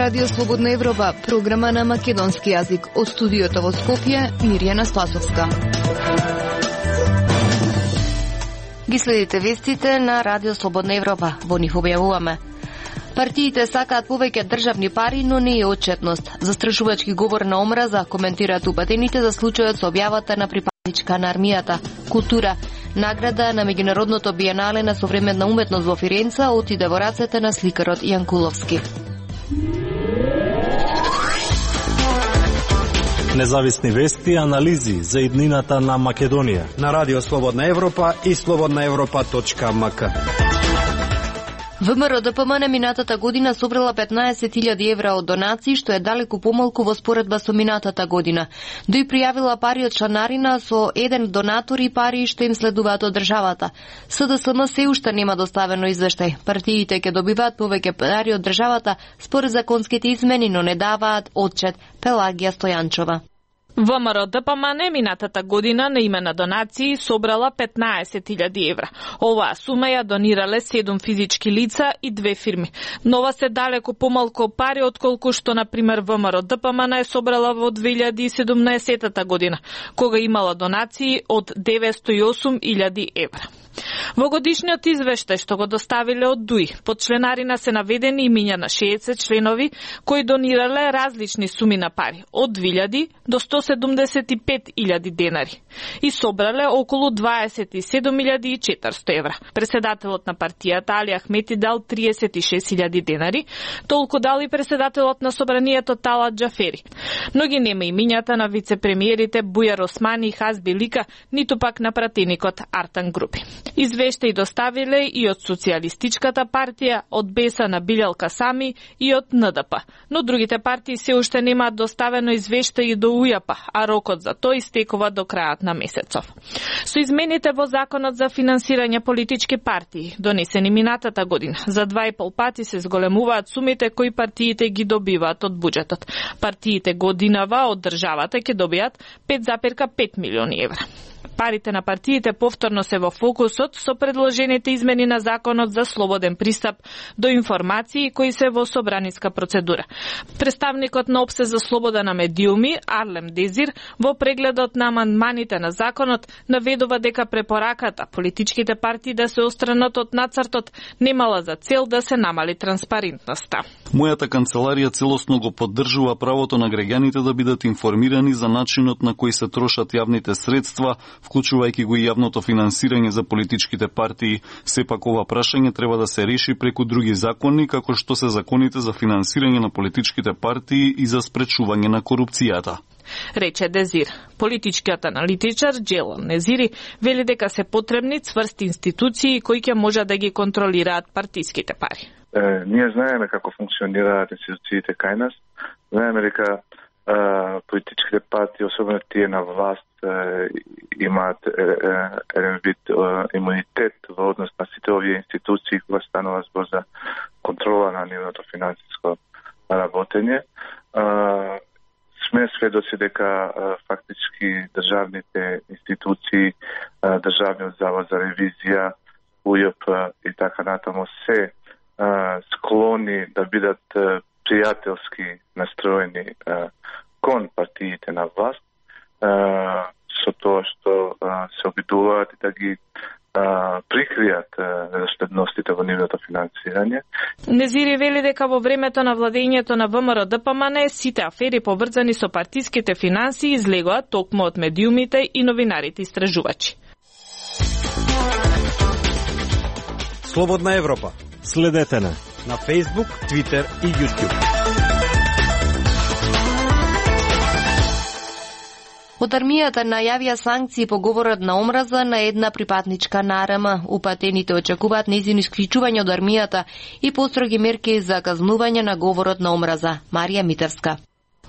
Радио Слободна Европа, програма на македонски јазик. Од студиото во Скопје, Мирјана Спасовска. Ги следите вестите на Радио Слободна Европа. Во нив објавуваме: партиите сакаат повеќе државни пари, но не и отчетност. Застрашувачки говор на омраза коментираат упатените за случајот со објавата на припадничка на армијата. Култура. Награда на меѓународното биенале на современна уметност во Фиренца отиде во рацете на сликарот Јанкуловски. Независни вести и анализи за иднината на Македонија на Радио Слободна Европа и slobodnaevropa.mk. ВМРО ДПМН минатата година собрала 15.000 евра од донации, што е далеку помалку во споредба со минатата година. Дој пријавила пари од чланарина со еден донатор и пари што им следуваат од државата. СДСМ се уште нема доставено извештај. Партиите ќе добиваат повеќе пари од државата според законските измени, но не даваат отчет. Пелагија Стојанчова. ВМРО ДПМН минатата година на име на донации собрала 15.000 евра. Оваа сума ја донирале 7 физички лица и 2 фирми. Нова се далеко помалку пари отколку што, например, ВМРО ДПМН е собрала во 2017 година, кога имала донации од 908.000 евра. Во годишниот извештај што го доставиле од ДУИ, под членарина се наведени имиња на 60 членови кои донирале различни суми на пари, од 2.000 до 175.000 денари и собрале околу 27.400 евра. Председателот на партијата Али Ахмети дал 36.000 денари, толку дал и председателот на собранието Талат Џафери. Но ги нема имињата на вице-премиерите Бујар Османи и Хазби Лика, ниту пак на пратеникот Артан Групи. Извештај доставиле и од Социјалистичката партија, од Беса на Билјал Касами и од НДП. Но другите партии се уште немаат доставено извештај до УЈАП, а рокот за тој истекува до крајот на месецов. Со измените во Законот за финансирање политички партии, донесени минатата година, за 2,5 пати се зголемуваат сумите кои партиите ги добиваат од буџетот. Партиите годинава од државата ќе добијат 5,5 милиони евра. Парите на партиите повторно се во фокусот со предложените измени на Законот за слободен пристап до информации кои се во собраниска процедура. Представникот на ОПСЕ за слобода на медиуми, Арлем Дезир, во прегледот на амандманите на Законот, наведува дека препораката политичките партии да се отстранат од нацртот немала за цел да се намали транспарентноста. Мојата канцеларија целосно го поддржува правото на граѓаните да бидат информирани за начинот на кој се трошат јавните средства, вклучувајќи го и јавното финансирање за политичките партии. Сепак ова прашање треба да се реши преку други закони, како што се законите за финансирање на политичките партии и за спречување на корупцијата, рече Дезир. Политичкиот аналитичар Джелон Незири вели дека се потребни цврсти институции кои ќе можат да ги контролираат партиските пари. Ние знаеме како функционираат институциите кај нас. Знаеме дека политичките партии, особено тие на власт, имаат еден вид имунитет во однос на сите овие институции кога станува збор за контрола на нивното финансиско работење. Сме сведоци дека фактички државните институции, Државниот завод за ревизија, УЈП и така натаму се склони да бидат пријателски настроени кон партиите на власт, со тоа што се обидуваат да ги прикријат неdoследностите во нивното финансирање. Незири вели дека во времето на владењето на ВМРО ДПМН сите афери поврзани со партиските финансии излегоа токму од медиумите и новинарите истражувачи. Слободна Европа. Следете на Facebook, Twitter и YouTube. Од армијата најавија санкции по говорот на омраза на една припадничка на АРМ. Упатените очекуваат нејзино исклучување од армијата и построги мерки за казнување на говорот на омраза. Марија Митевска.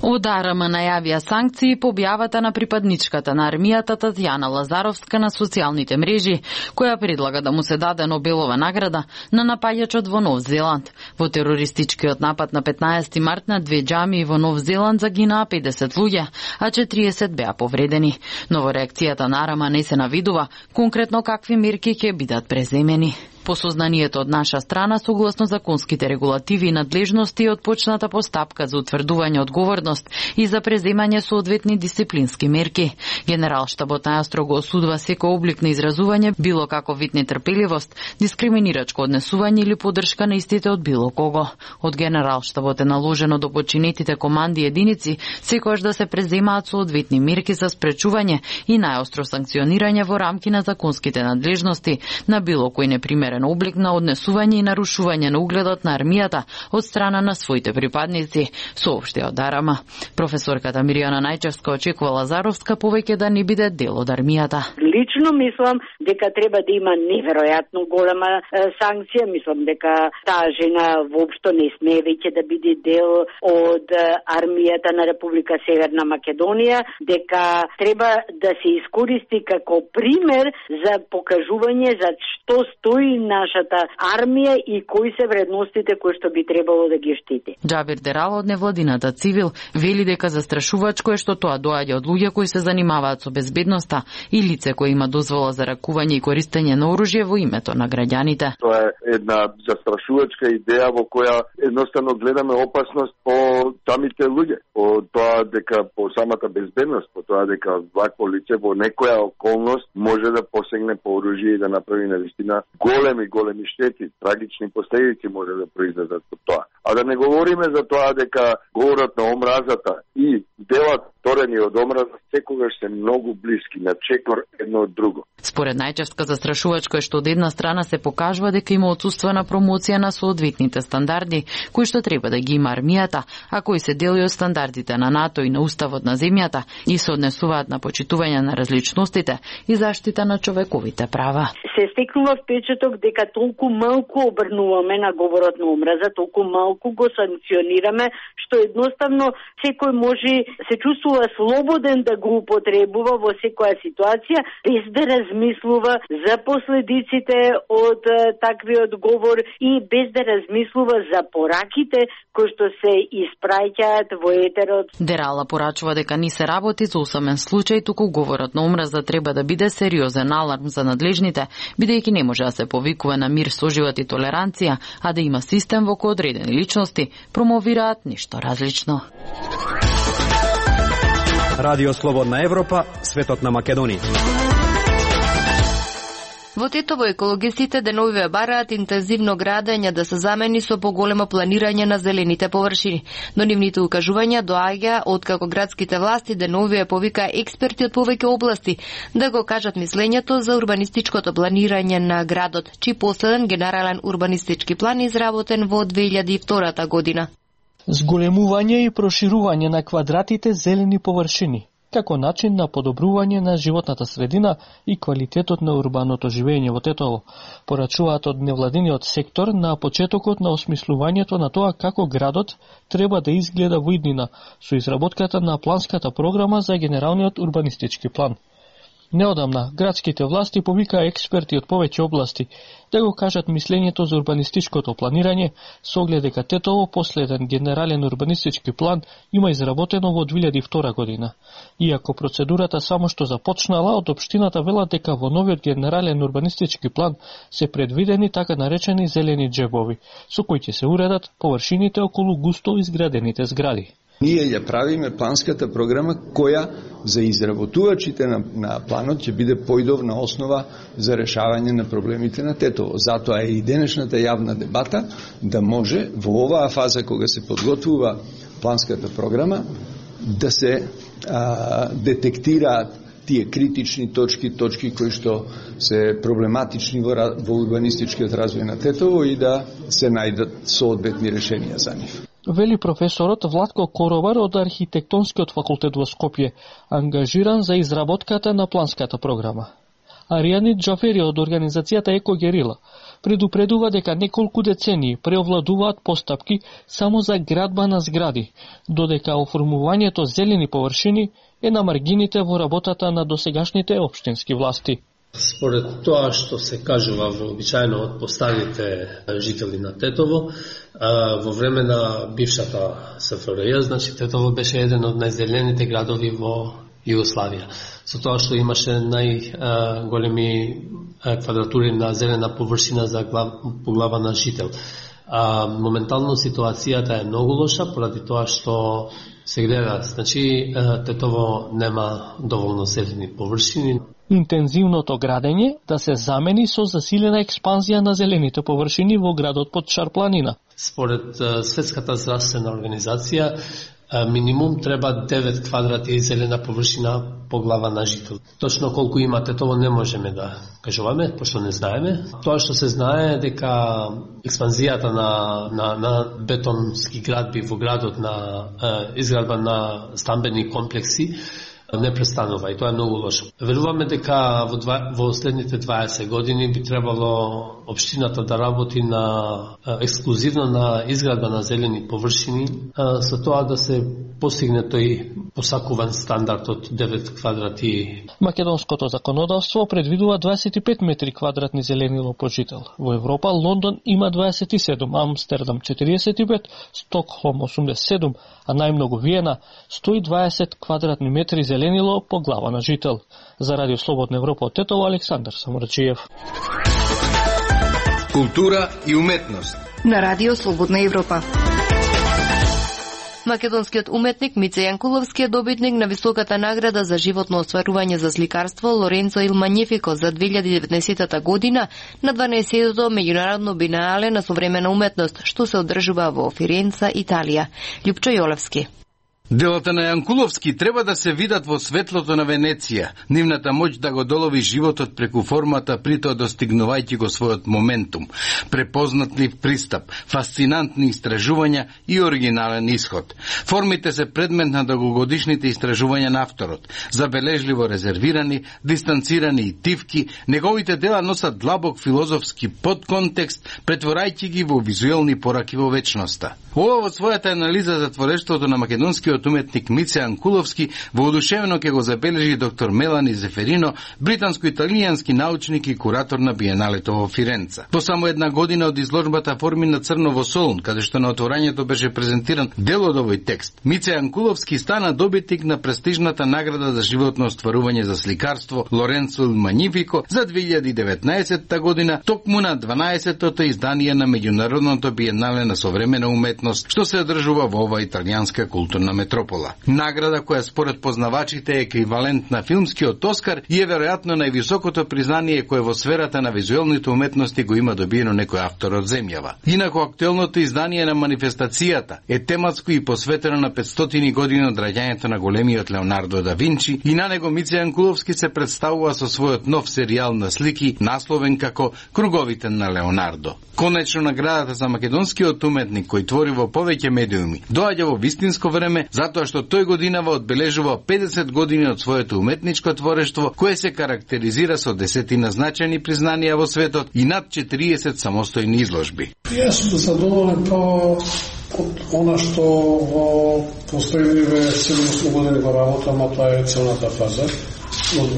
Од АРМ најавија санкции по објавата на припадничката на армијата Татјана Лазаровска на социјалните мрежи, која предлага да му се даде Нобелова награда на напаѓачот во Нов Зеланд. Во терористичкиот напад на 15 март на 2 џамии во Нов Зеланд загинаа 50 луѓе, а 40 беа повредени. Но во реакцијата на АРМ не се навидува конкретно какви мерки ќе бидат преземени. По сознанието од наша страна, согласно законските регулативи и надлежности, отпочната постапка за утврдување одговорност и за преземање соодветни дисциплински мерки. Генералштабот најстрого осудува секој облик на изразување, било како вид нетрпеливост, дискриминирачко однесување или поддршка на истите од било кого. Од Генералштабот е наложено до починетите команди и единици секогаш да се преземаат соодветни мерки за спречување и најостро санкционирање во рамки на законските надлежности на било кој непримерен облик на однесување и нарушување на угледот на армијата од страна на своите припадници, соопшти од Арама. Професорката Миријана Најчевска очекува Лазаровска повеќе да не биде дел од армијата. Лично мислам дека треба да има неверојатно голема санкција. Мислам дека таа жена воопшто не смее веќе да биде дел од армијата на Република Северна Македонија, дека треба да се искористи како пример за покажување за што стои нашата армија и кои се вредностите кои што би требало да ги штити. Џабир Дерал од невладината Цивил вели дека застрашувачко е што тоа доаѓа од луѓе кои се занимаваат со безбедноста и лице кои има дозвола за ракување и користење на оружје во името на граѓаните. Тоа е една застрашувачка идеја во која едноставно гледаме опасност по самите луѓе, по тоа дека по самата безбедност, по тоа дека вакво лице во некоја околност може да посегне по оружје и да направи навистина големи штети, трагични последици може да произлезат од тоа. А да не говориме за тоа дека говорот на омразата и делат сторени од омраза секогаш се многу блиски, на чекор едно од друго. Според Најчевска, застрашувачко е што од една страна се покажува дека има отсуство на промоција на соодветните стандарди, кои што треба да ги има армијата, а кои се дели од стандардите на НАТО и на уставот на земјата и се однесуваат на почитување на различностите и заштита на човековите права. Се стекнува впечаток дека толку малку обрнуваме на говорот на омраза, толку малку го санкционираме, што едноставно секој може се чувствува слободен да го употребува во секоја ситуација, без да размислува за последиците од таквиот говор и без да размислува за пораките кои што се испраќаат во етерот. Дерала порачува дека не се работи за усамен случај, туку говорот на омраза треба да биде сериозен аларм за надлежните, бидејќи не може да се повикува на мир, соживот и толеранција, а да има систем во кој одредени личности промовираат ништо различно. Радио Слободна Европа, светот на Македонија. Во Тетово екологистите деновиве бараат интензивно градење да се замени со поголемо планирање на зелените површини. Но нивните укажувања доаѓа откако градските власти деновиве повика експерти од повеќе области да го кажат мислењето за урбанистичкото планирање на градот, чиј последен генерален урбанистички план изработен во 2002 година. Зголемување и проширување на квадратите зелени површини, како начин на подобрување на животната средина и квалитетот на урбаното живење во Тетово, порачуваат од невладиниот сектор на почетокот на осмислувањето на тоа како градот треба да изгледа во иднина со изработката на планската програма за генералниот урбанистички план. Неодамна, градските власти повикаа експерти од повеќе области да го кажат мислењето за урбанистичкото планирање, со оглед дека Тетово последен генерален урбанистички план има изработено во 2002 година. Иако процедурата само што започнала, од општината велат дека во новиот генерален урбанистички план се предвидени така наречени зелени џебови, со кои ќе се уредат површините околу густо изградените згради. Ние ја правиме планската програма која за изработувачите на планот ќе биде поидовна основа за решавање на проблемите на Тетово. Затоа е и денешната јавна дебата да може во оваа фаза кога се подготвува планската програма да се детектираат тие критични точки кои што се проблематични во урбанистичкиот развој на Тетово и да се најдат соодветни решенија за нив. Вели професорот Владко Коробар од Архитектонскиот факултет во Скопје, ангажиран за изработката на планската програма. Аријани Џафери од организацијата Екогерила предупредува дека неколку децении преовладуваат постапки само за градба на згради, додека оформувањето зелени површини е на маргините во работата на досегашните општински власти. Според тоа што се кажува вообичаено од постаните жители на Тетово, во време на бившата СФРЈ, значи Тетово беше еден од најзелените градови во Југославија. Со тоа што имаше најголеми квадратури на зелена површина по глава на жител. Моментално ситуацијата е многу лоша поради тоа што се гледа, значи Тетово нема доволно зелени површини. Интензивното градење да се замени со засилена експанзија на зелените површини во градот под Шарпланина. Според Светската здравствена организација, минимум треба 9 квадрати зелена површина по глава на жител. Точно колку има Тетово не можеме да кажуваме, пошто не знаеме. Тоа што се знае дека експанзијата на бетонски градби во градот, на изградба на стамбени комплекси не престанува и тоа е многу лошо. Веруваме дека во следните 20 години би требало општината да работи на ексклузивно на изградба на зелени површини, со тоа да се постигне тој посакуван стандард од 9 квадрати. Македонското законодавство предвидува 25 метри квадратни зеленило по жител. Во Европа Лондон има 27, Амстердам 45, Стокхолм 87, а најмногу Виена 120 квадратни метри зеленило по глава на жител. За Радио Слободна Европа од Тетово, Александар Саморачиев. Култура и уметност на Радио Слободна Европа. Македонскиот уметник Мице Јанкуловски е добитник на високата награда за животно остварување за сликарство Лоренцо il Magnifico за 2019 година на 12-тото меѓународно биенале на современа уметност, што се одржува во Фиренца, Италија. Љупчо Јолевски. Делата на Јанкуловски треба да се видат во светлото на Венеција. Нивната моќ да го долови животот преку формата, притоа достигнувајќи го својот моментум. Препознатлив пристап, фасцинантни истражувања и оригинален исход. Формите се предмет на долгогодишните истражувања на авторот. Забележливо резервирани, дистанцирани и тивки, неговите дела носат длабок филозофски подконтекст, претворајќи ги во визуелни пораки во вечноста. Ова во својата анализа за творештвото на македонскиот уметник Мице Јанкуловски воодушевено ќе го забележи доктор Мелани Зеферино, британско-италијански научник и куратор на биеналето во Фиренца. По само една година од изложбата Форми на црно во Солун, каде што на отворањето беше презентиран дел од овој текст, Мице Јанкуловски стана добитник на престижната награда за животно остварување за сликарство Лоренцо il Magnifico за 2019 година, токму на 12-тото издание на меѓународното биенале на современа уметност, што се одржува во ова италијанска културна метропола. Награда која според познавачите е еквивалент на филмскиот Оскар и е веројатно највисокото признание кое во сферата на визуелните уметности го има добиено некој автор од земјава. Инаку актуелното издание на манифестацијата е тематско и посветено на 500 години од раѓањето на големиот Леонардо да Винчи и на него Мице Јанкуловски се представува со својот нов серијал на слики насловен како Круговите на Леонардо. Конечно наградата за македонскиот уметник кој твори во повеќе медиуми доаѓа во вистинско време затоа што тој годинава одбележува 50 години од своето уметничко творештво кое се карактеризира со 10 значајни признанија во светот и над 40 самостојни изложби. Јас сум задоволен од она што во последниве 7 години го работам, а тоа е целната фаза. Од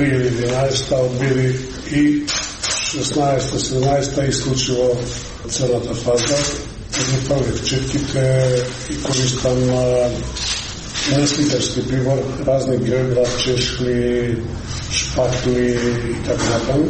2011, од 2016-17 исклучиво целата фаза. Ги правих четките и користам несликарски прибор, разни географ, чешли, шпатли и така натаму.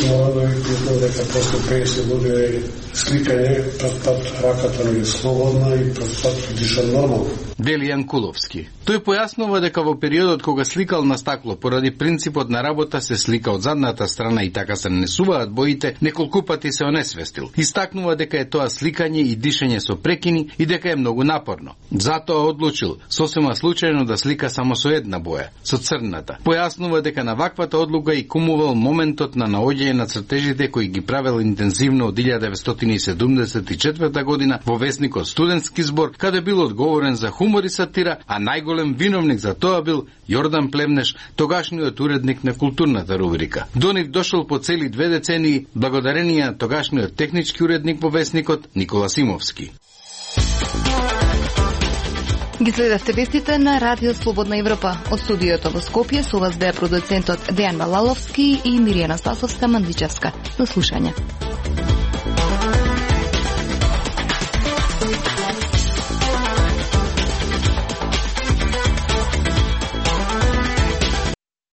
Мора да ви признам дека после 50 години сликање, прв пат раката ми е слободна и прв пат дишам нормално. Вели Јанкуловски. Тој појаснува дека во периодот кога сликал на стакло, поради принципот на работа се слика од задната страна и така се нанесуваат боите, неколку пати се онесвестил. Истакнува дека е тоа сликање и дишење со прекини и дека е многу напорно. Затоа одлучил сосема случајно да слика само со една боја, со црната. Појаснува дека на ваквата одлука и кумувал моментот на наоѓање на цртежите кои ги правел интензивно од 1974 година во весникот Студентски збор, каде бил одговорен за хумор и сатира, а најголем виновник за тоа бил Јордан Плевнеш, тогашниот уредник на културната рубрика. До нив дошол по цели 2 децении благодарение на тогашниот технички уредник во весникот Никола Симовски. Ги следевте вестите на Радио Слободна Европа. Од студиото во Скопје со вас беа продуцентот Дејан Балаловски и Миријана Спасовска-Мандичевска. До слушање.